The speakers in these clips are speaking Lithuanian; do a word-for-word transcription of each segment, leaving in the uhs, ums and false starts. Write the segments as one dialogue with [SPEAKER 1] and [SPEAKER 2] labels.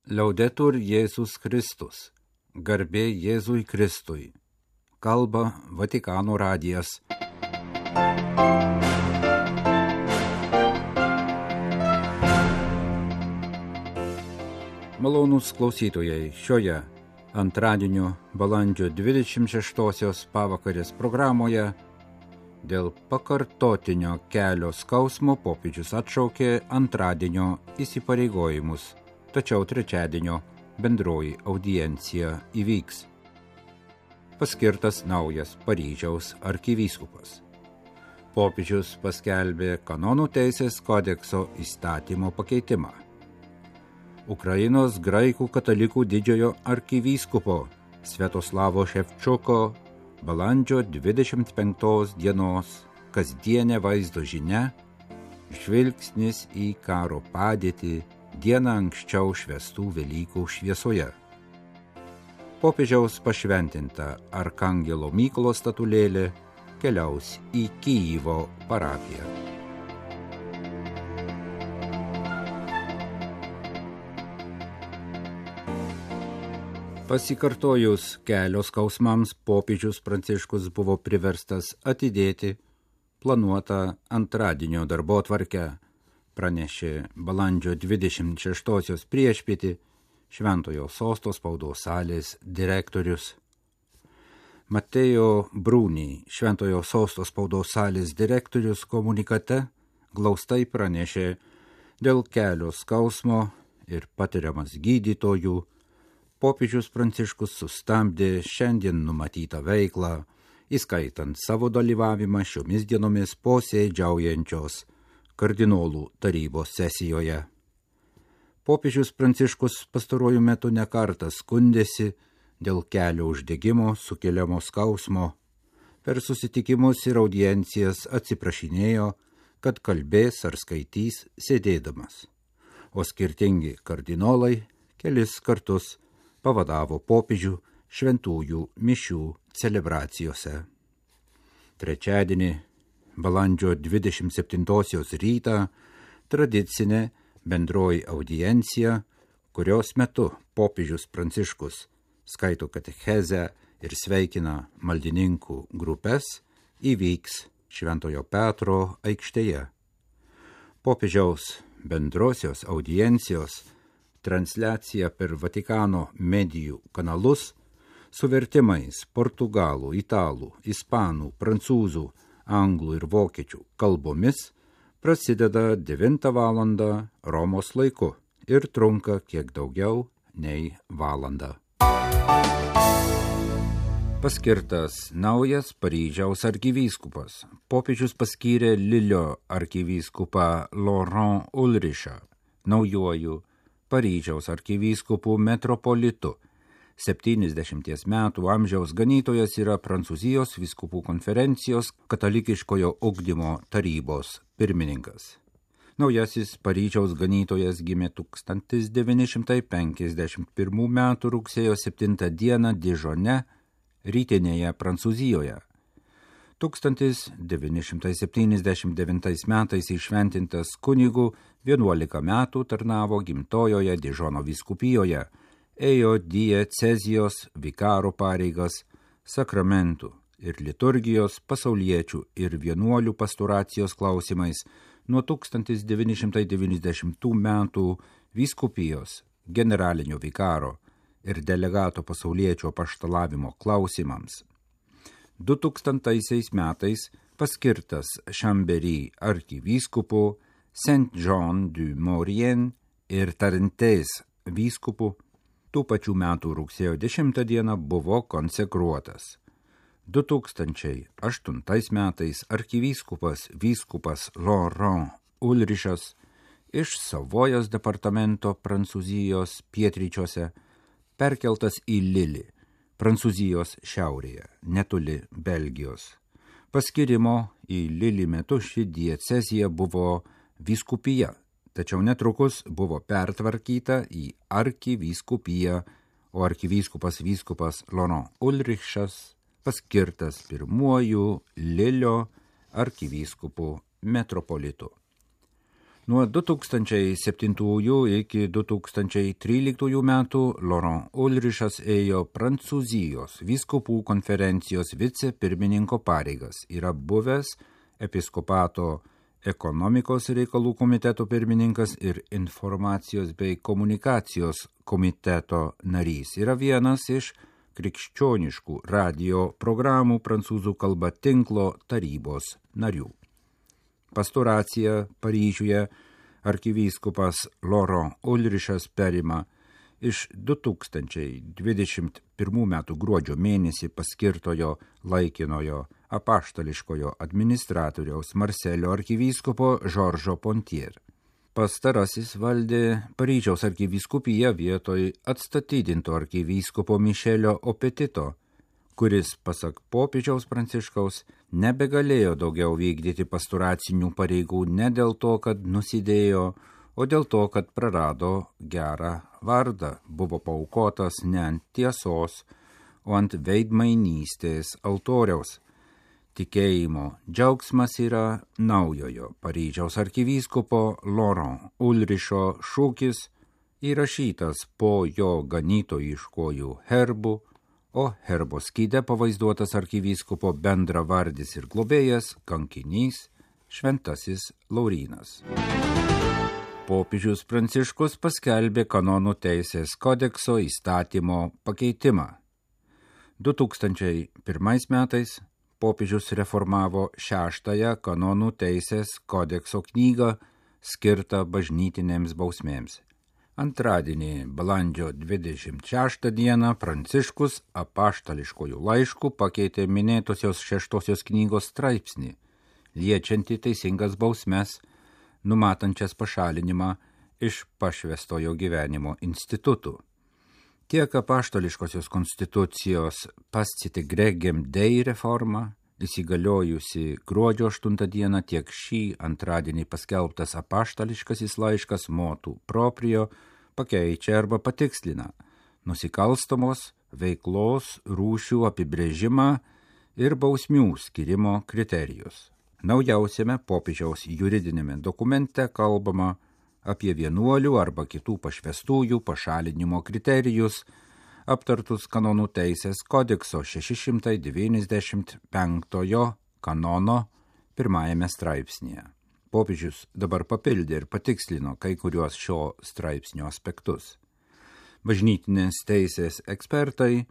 [SPEAKER 1] Liaudetur Jėzus Kristus, garbė Jėzui Kristui, kalba Vatikano radijas. Malonūs klausytojai, šioje antradienio balandžio dvidešimt šeštosios pavakarės programoje dėl pakartotinio kelio skausmo popiežius atšaukė antradienio įsipareigojimus, tačiau trečiadienio bendroji audiencija įvyks. Paskirtas naujas Paryžiaus arkivyskupas. Popiežius paskelbė kanonų teisės kodekso įstatymo pakeitimą. Ukrainos graikų katalikų didžiojo arkivyskupo Sviatoslavo Ševčuko balandžio dvidešimt penktos dienos kasdienė vaizdo žinia, žvilgsnis į karo padėtį dieną anksčiau švęstų Velykų šviesoje. Popiežiaus pašventinta Arkangelo Mykolo statulėlė keliaus į Kyjivo parapiją. Pasikartojus kelio skausmams, popiežius Pranciškus buvo priverstas atidėti planuotą antradienio darbotvarkę, pranešė balandžio dvidešimt šeštosios priešpietį Šventojo Sosto spaudos salės direktorius. Mateo Bruni, Šventojo Sosto spaudos salės direktorius, komunikate glaustai pranešė dėl kelio skausmo ir patiriamas gydytojų. Popiežius Pranciškus sustabdė šiandien numatytą veiklą, įskaitant savo dalyvavimą šiomis dienomis posėdžiaujančios kardinolų tarybos sesijoje. Popiežius Pranciškus pastaruoju metu nekartą skundėsi dėl kelio uždegimo sukeliamo skausmo. Per susitikimus ir audiencijas atsiprašinėjo, kad kalbės ar skaitys sėdėdamas, o skirtingi kardinolai kelis kartus pavadavo popiežių šventųjų mišių celebracijose. Trečiadienį, balandžio dvidešimt septintosios rytą, tradicinė bendroji audiencija, kurios metu popiežius Pranciškus skaito katechezę ir sveikina maldininkų grupės, įvyks Šventojo Petro aikštėje. Popiežiaus bendrosios audiencijos transliacija per Vatikano medijų kanalus su vertimais portugalų, italų, ispanų, prancūzų, anglų ir vokiečių kalbomis prasideda devintą valandą Romos laiku ir trunka kiek daugiau nei valandą. Paskirtas naujas Paryžiaus arkivyskupas. Popiežius paskyrė Lilio arkivyskupą Laurent Ulrichą naujuoju Paryžiaus arkivyskupų metropolitu. septyniasdešimties metų amžiaus ganytojas yra Prancūzijos vyskupų konferencijos katalikiškojo ugdymo tarybos pirmininkas. Naujasis Paryžiaus ganytojas gimė tūkstantis devyni šimtai penkiasdešimt pirmų metų rugsėjo septintą dieną Dižone, rytinėje Prancūzijoje. tūkstantis devyni šimtai septyniasdešimt devintais metais įšventintas kunigu, vienuolika metų tarnavo gimtojoje Dižono vyskupijoje, ėjo diecezijos vikaro pareigas, sakramentų ir liturgijos, pasauliečių ir vienuolių pastoracijos klausimais nuo tūkstantis devyni šimtai devyniasdešimtų metų vyskupijos generalinio vikaro ir delegato pasauliečio apaštalavimo klausimams. du tūkstantaisiais metais paskirtas Chambéry arkivyskupu, Saint-Jean-du-Maurienne ir Tarentės vyskupu. Tų pačių metų rugsėjo dešimtą dieną buvo konsekruotas. du tūkstančiai aštuntais metais arkivyskupas vyskupas Laurent Ulrichas iš Savojos departamento Prancūzijos pietryčiuose perkeltas į Lilį, Prancūzijos šiaurėje, netoli Belgijos. Paskirimo į Lilį metu ši diecezija buvo vyskupija, tačiau netrukus buvo pertvarkyta į arkivyskupiją, o arkivyskupas vyskupas Laurent Ulrichas paskirtas pirmuoju Lilio arkivyskupu metropolitu. Nuo du tūkstančiai septintųjų iki du tūkstančiai tryliktųjų metų Laurent Ulrichas ėjo Prancūzijos vyskupų konferencijos vicepirmininko pareigas. Yra buvęs episkopato ekonomikos reikalų komiteto pirmininkas ir informacijos bei komunikacijos komiteto narys. Yra vienas iš krikščioniškų radio programų prancūzų kalba tinklo tarybos narių. Pastoraciją Paryžiuje arkivyskupas Laurent Ulrichas perima iš du tūkstančiai dvidešimt pirmų metų gruodžio mėnesį paskirtojo laikinojo apaštališkojo administratoriaus Marselio arkivyskupo Žoržo Pontier. Pastarasis valdė Paryžiaus arkivyskupiją vietoj atstatydinto arkivyskupo Mišelio Opetito, kuris, pasak popiežiaus Pranciškaus, nebegalėjo daugiau vykdyti pastoracinių pareigų ne dėl to, kad nusidėjo, o dėl to, kad prarado gerą vardą, buvo paaukotas ne ant tiesos, o ant veidmainystės altoriaus. Tikėjimo džiaugsmas yra naujojo Paryžiaus arkivyskupo Laurent Ulricho šūkis, įrašytas po jo ganytojiškojų herbų, o herbo skyde pavaizduotas arkivyskupo bendravardis ir globėjas, kankinys, šventasis Laurynas. Popiežius Pranciškus paskelbė kanonų teisės kodekso įstatymo pakeitimą. du tūkstančiai pirmais metais popiežius reformavo šeštąją kanonų teisės kodekso knygą skirtą bažnytinėms bausmėms. Antradienį, balandžio dvidešimt šeštą dieną, Pranciškus apaštališkojų laiškų pakeitė minėtosios šeštosios knygos straipsnį, liečiantį teisingas bausmes, numatančias pašalinimą iš pašvęstojo gyvenimo institutų. Tiek apaštališkosios konstitucijos Pascite Gregem Dei reforma, įsigaliojusi gruodžio aštuntą dieną, tiek šį antradienį paskelbtas apaštališkasis laiškas Motu Proprio pakeičia arba patikslina nusikalstamos veiklos rūšių apibrėžimą ir bausmių skirimo kriterijus. Naujausiame popiežiaus juridinėme dokumente kalbama apie vienuolių arba kitų pašvęstųjų pašalinimo kriterijus, aptartus kanonų teisės kodekso šeši šimtai devyniasdešimt penktojo kanono pirmajame straipsnėje. Popiežius dabar papildė ir patikslino kai kuriuos šio straipsnio aspektus. Bažnytinės teisės ekspertai,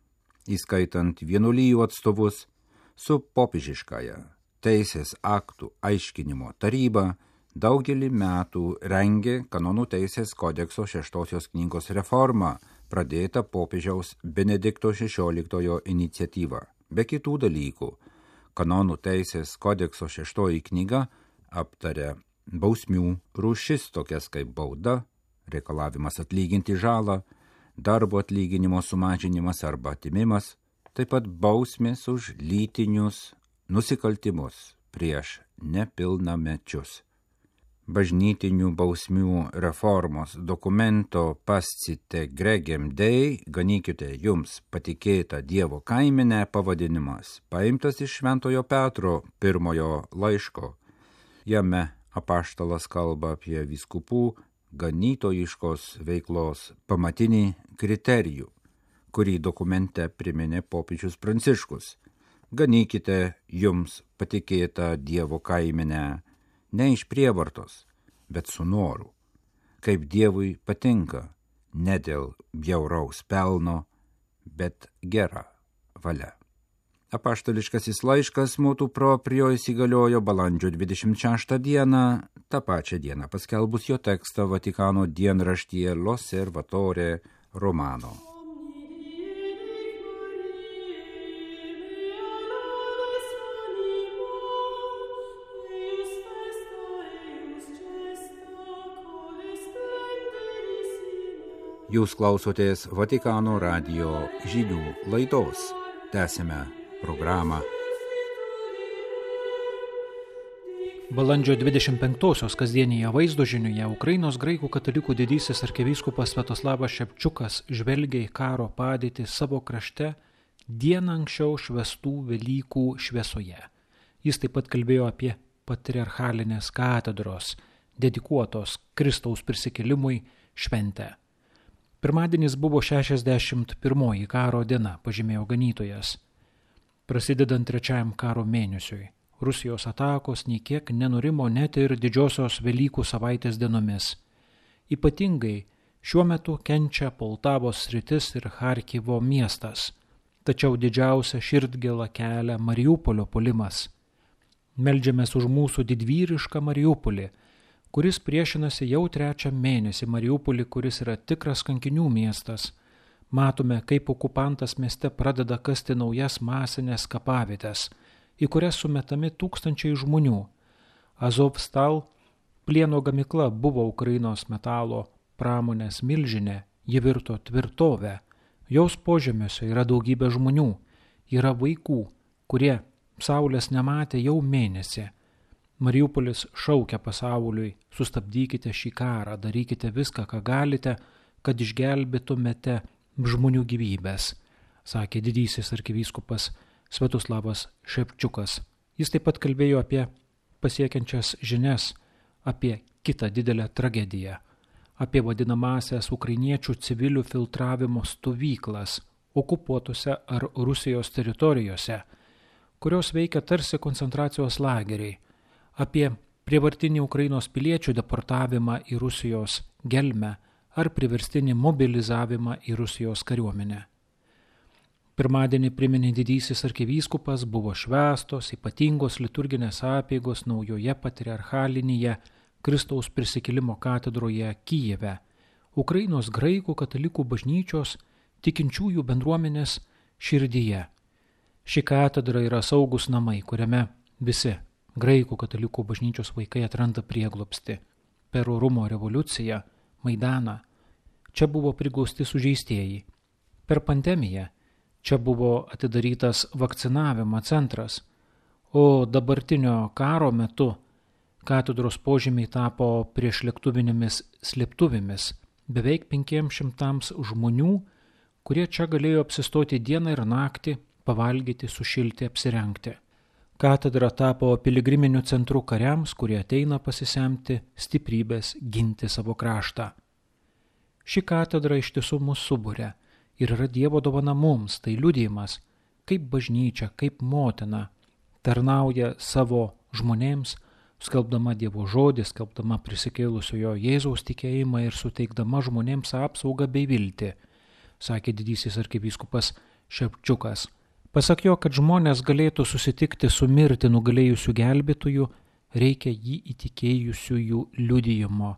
[SPEAKER 1] įskaitant vienuolijų atstovus, su popiežiškąja teisės aktų aiškinimo taryba daugelį metų rengė kanonų teisės kodekso šeštosios knygos reformą, pradėta popiežiaus Benedikto šešioliktojo iniciatyva. Be kitų dalykų, kanonų teisės kodekso šeštoji knyga aptarė bausmių rūšis tokias kaip bauda, reikalavimas atlyginti žalą, darbo atlyginimo sumažinimas arba atimimas, taip pat bausmės už lytinius nusikaltimus prieš nepilnamečius. Bažnytinių bausmių reformos dokumento Pascite Gregem Dei, ganykite jums patikėtą Dievo kaimenę pavadinimas, paimtas iš Šventojo Petro pirmojo laiško. Jame apaštalas kalba apie vyskupų ganytojiškos veiklos pamatinį kriterijų, kurį dokumente priminė popiežius Pranciškus. Ganykite jums patikėtą Dievo kaimenę, ne iš prievartos, bet su noru, kaip Dievui patinka, ne dėl bjauraus pelno, bet gera valia. Apaštališkasis laiškas Motu Proprio įsigaliojo balandžio dvidešimt šeštą dieną, tą pačią dieną paskelbus jo tekstą Vatikano dienraštyje L'Osservatore Romano. Jūs klausotės Vatikano radijo žinių laidos. Tęsime programą.
[SPEAKER 2] Balandžio dvidešimt penktosios kasdienėje vaizdo žinioje Ukrainos graikų katalikų didysis arkivyskupas Sviatoslavas Ševčiukas žvelgia į karo padėtį savo krašte dieną anksčiau švęstų Velykų šviesoje. Jis taip pat kalbėjo apie patriarchalinės katedros dedikuotos Kristaus prisikėlimui šventę. Pirmadienis buvo šešiasdešimt pirmoji karo diena, pažymėjo ganytojas. Prasidedant trečiajam karo mėnesiui, Rusijos atakos nei kiek nenurimo net ir didžiosios Velykų savaitės dienomis. Ypatingai šiuo metu kenčia Poltavos sritis ir Charkivo miestas, tačiau didžiausia širdgėla kelia Mariupolio puolimas. Meldžiamės už mūsų didvyrišką Mariupolį, kuris priešinasi jau trečią mėnesį Mariupolį, kuris yra tikras kankinių miestas. Matome, kaip okupantas mieste pradeda kasti naujas masinės kapavietės, į kurias sumetami tūkstančiai žmonių. Azovstal plieno gamykla buvo Ukrainos metalo pramonės milžinė, ji virto tvirtovę. Jos požemiuose yra daugybė žmonių, yra vaikų, kurie saulės nematė jau mėnesį. Mariupolis šaukia pasauliui, sustabdykite šį karą, darykite viską, ką galite, kad išgelbėtumėte žmonių gyvybės, sakė didysis arkivyskupas Sviatoslavas Ševčiukas. Jis taip pat kalbėjo apie pasiekiančias žinias, apie kitą didelę tragediją, apie vadinamąsias ukrainiečių civilių filtravimo stovyklas okupuotose ar Rusijos teritorijose, kurios veikia tarsi koncentracijos lageriai, apie prievartinį Ukrainos piliečių deportavimą į Rusijos gelmę ar priverstinį mobilizavimą į Rusijos kariuomenę. Pirmadienį priminė didysis arkivyskupas, buvo švęstos ypatingos liturginės apeigos naujoje patriarchalinėje Kristaus prisikėlimo katedroje Kijeve, Ukrainos graikų katalikų bažnyčios tikinčiųjų bendruomenės širdyje. Ši katedra yra saugus namai, kuriame visi graikų katalikų bažnyčios vaikai atranda prieglobstį. Per orumo revoliuciją, Maidaną, čia buvo prigausti sužeistieji. Per pandemiją čia buvo atidarytas vakcinavimo centras, o dabartinio karo metu katedros požemiai tapo priešlėktuvinėmis slėptuvėmis beveik penkiems šimtams žmonių, kurie čia galėjo apsistoti dieną ir naktį, pavalgyti, sušilti, apsirengti. Katedra tapo piligriminiu centru kariams, kurie ateina pasisemti stiprybės ginti savo kraštą. Ši katedra iš tiesų mus suburia ir yra Dievo dovana mums, tai liudijimas, kaip bažnyčia, kaip motina tarnauja savo žmonėms, skelbdama Dievo žodį, skelbdama prisikėlusiojo Jėzaus tikėjimą ir suteikdama žmonėms apsaugą bei viltį, sakė didysis arkivyskupas Ševčiukas. Pasak jo, kad žmonės galėtų susitikti su mirtį nugalėjusių gelbėtojų, reikia jį įtikėjusiųjų liudijimo.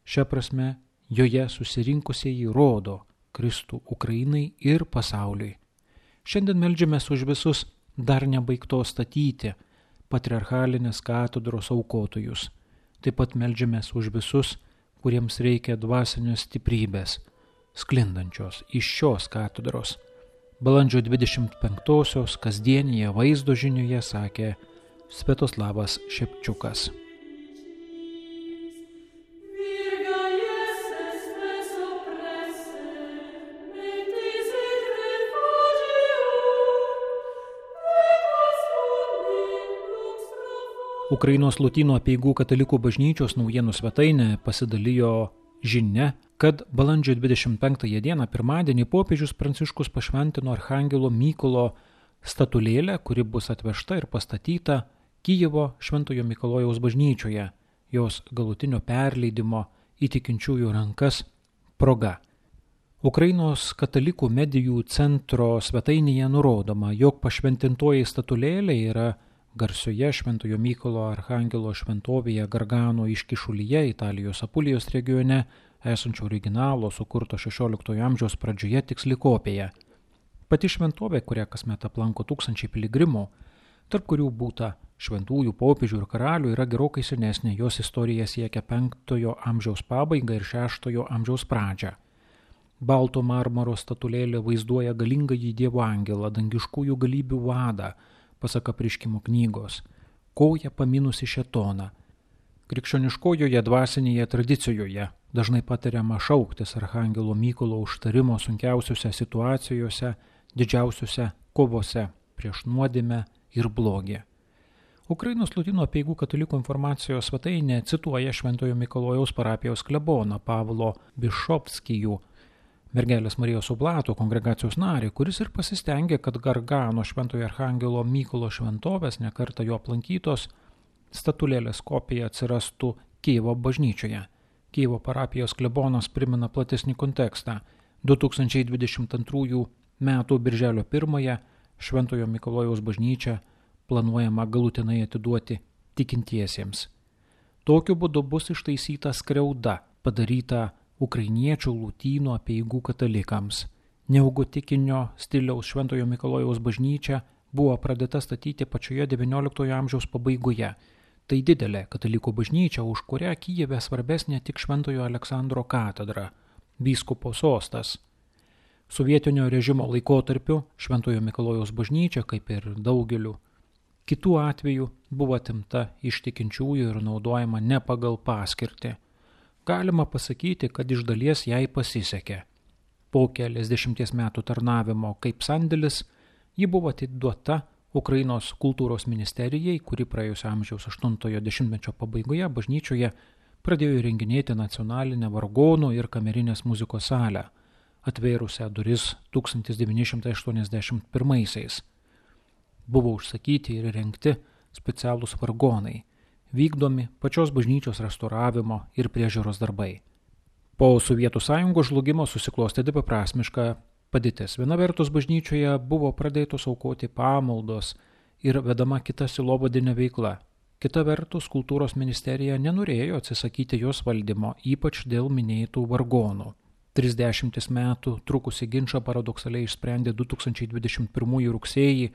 [SPEAKER 2] Šia prasme, joje susirinkusieji rodo Kristų Ukrainai ir pasauliui. Šiandien meldžiamės už visus dar nebaigtos statyti patriarchalinės katedros aukotojus. Taip pat meldžiamės už visus, kuriems reikia dvasinės stiprybės, sklindančios iš šios katedros. Balandžio dvidešimt penktosios kasdienėje vaizdo žinioje sakė Sviatoslavas Ševčiukas. Ukrainos Lotynų apeigų katalikų bažnyčios naujienų svetainė pasidalijo žinia, kad balandžio dvidešimt penktąją dieną pirmadienį popiežius Pranciškus pašventino Archangelo Mykolo statulėlę, kuri bus atvežta ir pastatyta Kijevo Šventojo Mikalojaus bažnyčioje, jos galutinio perleidimo į tikinčiųjų rankas proga. Ukrainos katalikų medijų centro svetainėje nurodoma, jog pašventintoji statulėlė yra garsioje Šventojo Mykolo Archangelo šventovėje Gargano iškyšulyje Italijos Apulijos regione esančio originalo sukurto šešioliktojo amžiaus pradžioje tiksli kopija. Pati šventovė, kurią kasmet aplanko tūkstančiai piligrimų, tarp kurių būta šventųjų, popiežių ir karalių, yra gerokai senesnė, jos istorija siekia penktojo amžiaus pabaigą ir šeštojo amžiaus pradžią. Balto marmuro statulėlė vaizduoja galingąjį Dievo angelą, dangiškųjų galybių vadą, pasak Apreiškimo knygos, koją paminusi šėtoną. Krikščioniškojoje dvasinėje tradicijoje dažnai patariama šauktis Archangelo Mykolo užtarimo sunkiausiose situacijose, didžiausiose kovose prieš nuodėmę ir blogį. Ukrainos Lotynų apeigų katalikų informacijos svetainė cituoja Šventojo Mikalojaus parapijos kleboną Pavlo Bišovskijų, Mergelės Marijos Oblato kongregacijos narį, kuris ir pasistengė, kad Gargano Šventojo Archangelo Mykolo šventovės, nekartą jo aplankytos, statulėlės kopija atsirastų Kijevo bažnyčioje. Kijevo parapijos klebonas primena platesnį kontekstą. du tūkstančiai dvidešimt antrųjų metų birželio pirmąją Šventojo Mikalojaus bažnyčią planuojama galutinai atiduoti tikintiesiems. Tokiu būdu bus ištaisyta skriauda, padaryta ukrainiečių lotynų apeigų katalikams. Neogotikinio stiliaus Šventojo Mikalojaus bažnyčia buvo pradėta statyti pačioje devynioliktojo amžiaus pabaigoje. Tai didelė katalikų bažnyčia, už kurią Kijeve svarbesnė tik Šventojo Aleksandro katedra, vyskupo sostas. Sovietinio režimo laikotarpiu Šventojo Mikalojaus bažnyčia, kaip ir daugeliu kitų atvejų, buvo atimta iš tikinčiųjų ir naudojama ne pagal paskirtį. Galima pasakyti, kad iš dalies jai pasisekė. Po keliasdešimties metų tarnavimo kaip sandėlis, ji buvo atiduota Ukrainos kultūros ministerijai, kuri praėjusio amžiaus aštuntojo dešimtmečio pabaigoje bažnyčioje pradėjo įrenginėti nacionalinę vargonų ir kamerinės muzikos salę, atvėrusią duris tūkstantis devyni šimtai aštuoniasdešimt pirmaisiais. Buvo užsakyti ir rengti specialūs vargonai, vykdomi pačios bažnyčios restauravimo ir priežiūros darbai. Po Sovietų sąjungos žlugimo susiklostė dviprasmiška padėtis. Viena vertus bažnyčioje buvo pradėtos aukoti pamaldos ir vedama kita sielovadinė veikla. Kita vertus, kultūros ministerija nenorėjo atsisakyti jos valdymo, ypač dėl minėtų vargonų. Trisdešimtis metų trukusi ginčą paradoksaliai išsprendė du tūkstančiai dvidešimt pirmųjų rugsėjį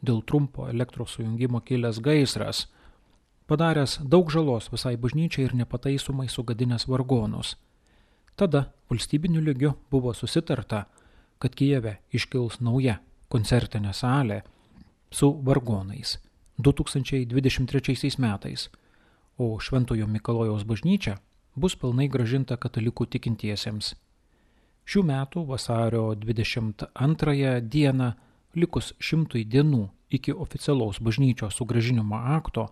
[SPEAKER 2] dėl trumpo elektros sujungimo kilęs gaisras, padaręs daug žalos visai bažnyčiai ir nepataisomai sugadinęs vargonus. Tada valstybiniu lygiu buvo susitarta, kad Kijeve iškils nauja koncertinė salė su vargonais du tūkstančiai dvidešimt trečiaisiais metais, o Šventojo Mikalojaus bažnyčia bus pilnai grąžinta katalikų tikintiesiems. Šių metų vasario dvidešimt antrąją dieną, likus šimtui dienų iki oficialaus bažnyčios sugrąžinimo akto,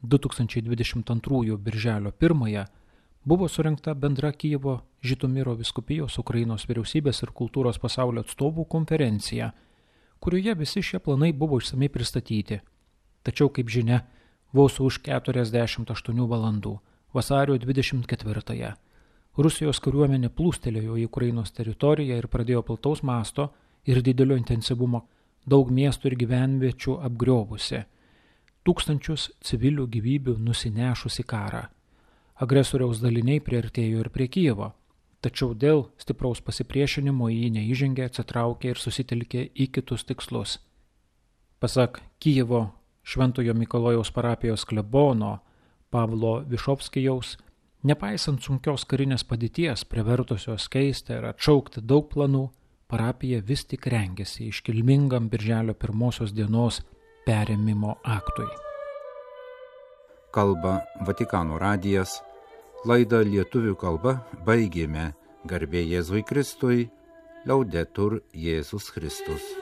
[SPEAKER 2] du tūkstančiai dvidešimt antrųjų birželio pirmąją, buvo surengta bendra Kijevo Žitomiro vyskupijos Ukrainos vyriausybės ir kultūros pasaulio atstovų konferencija, kurioje visi šie planai buvo išsamei pristatyti. Tačiau, kaip žinia, vos už keturiasdešimt aštuonių valandų, vasario dvidešimt ketvirtąją, Rusijos kariuomenė plūstelėjo į Ukrainos teritoriją ir pradėjo plataus masto ir didelio intensyvumo daug miestų ir gyvenviečių apgriobusi, tūkstančius civilių gyvybių nusinešusi karą. Agresoriaus daliniai priartėjo ir prie Kijevo, tačiau dėl stipraus pasipriešinimo jį neįžengė, atsitraukė ir susitelkė į kitus tikslus. Pasak Kijevo Šventojo Mikalojaus parapijos klebono Pavlo Bišovskijaus, nepaisant sunkios karinės padėties, privertusios keisti ir atšaukti daug planų, parapija vis tik rengėsi iškilmingam birželio pirmosios dienos perėmimo aktui.
[SPEAKER 1] Kalba Vatikano radijas, laidą lietuvių kalba baigėme. Garbė Jėzui Kristui, Laudetur Jėzus Kristus.